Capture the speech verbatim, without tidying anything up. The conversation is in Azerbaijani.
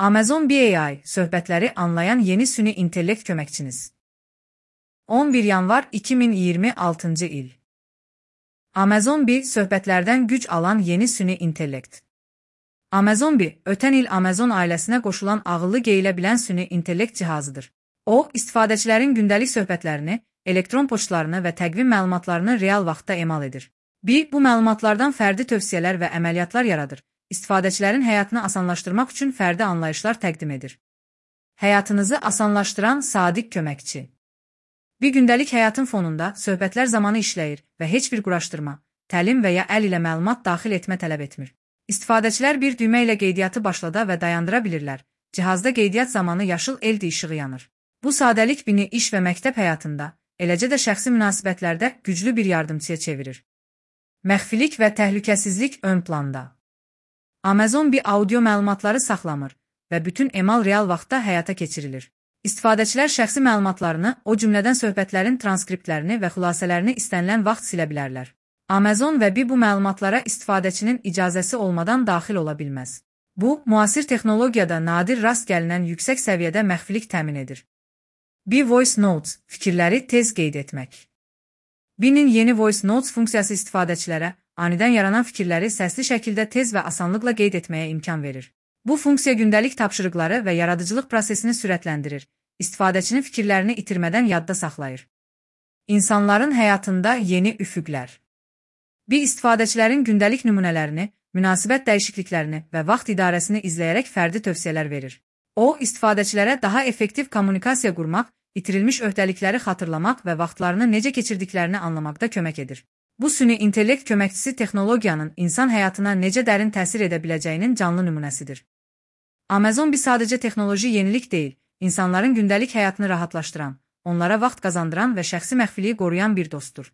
Amazon B A I, söhbətləri anlayan yeni süni intellekt köməkçiniz. on bir yanvar iki min iyirmi altıncı il. Amazon B, söhbətlərdən güc alan yeni süni intellekt. Amazon B, ötən il Amazon ailəsinə qoşulan ağıllı geyilə bilən süni intellekt cihazıdır. O, istifadəçilərin gündəlik söhbətlərini, elektron poçtlarını və təqvim məlumatlarını real vaxtda emal edir. B, bu məlumatlardan fərdi tövsiyələr və əməliyyatlar yaradır. İstifadəçilərin həyatını asanlaşdırmaq üçün fərdi anlayışlar təqdim edir. Həyatınızı asanlaşdıran sadiq köməkçi. Bir gündəlik həyatın fonunda söhbətlər zamanı işləyir və heç bir quraşdırma, təlim və ya əl ilə məlumat daxil etmə tələb etmir. İstifadəçilər bir düymə ilə qeydiyyatı başlada və dayandıra bilirlər. Cihazda qeydiyyat zamanı yaşıl L E D işığı yanır. Bu sadəlik bini iş və məktəb həyatında, eləcə də şəxsi münasibətlərdə güclü bir yardımçıya çevirir. Məxfilik və təhlükəsizlik ön planda. Amazon B audio məlumatları saxlamır və bütün emal real vaxtda həyata keçirilir. İstifadəçilər şəxsi məlumatlarını, o cümlədən söhbətlərin transkriptlərini və xülasələrini istənilən vaxt silə bilərlər. Amazon və B bu məlumatlara istifadəçinin icazəsi olmadan daxil ola bilməz. Bu, müasir texnologiyada nadir rast gəlinən yüksək səviyyədə məxfilik təmin edir. B Voice Notes, fikirləri tez qeyd etmək. B-nin yeni Voice Notes funksiyası istifadəçilərə anidən yaranan fikirləri səsli şəkildə tez və asanlıqla qeyd etməyə imkan verir. Bu funksiya gündəlik tapşırıqları və yaradıcılıq prosesini sürətləndirir, istifadəçinin fikirlərini itirmədən yadda saxlayır. İnsanların həyatında yeni üfüqlər. B istifadəçilərin gündəlik nümunələrini, münasibət dəyişikliklərini və vaxt idarəsini izləyərək fərdi tövsiyələr verir. O, istifadəçilərə daha effektiv kommunikasiya qurmaq, itirilmiş öhdəlikləri xatırlamaq və vaxtlarını necə keçirdiklərini anlamaqda kömək edir. Bu süni intellekt köməkçisi texnologiyanın insan həyatına necə dərin təsir edə biləcəyinin canlı nümunəsidir. Amazon B sadəcə texnoloji yenilik deyil, insanların gündəlik həyatını rahatlaşdıran, onlara vaxt qazandıran və şəxsi məxfiliyi qoruyan bir dostdur.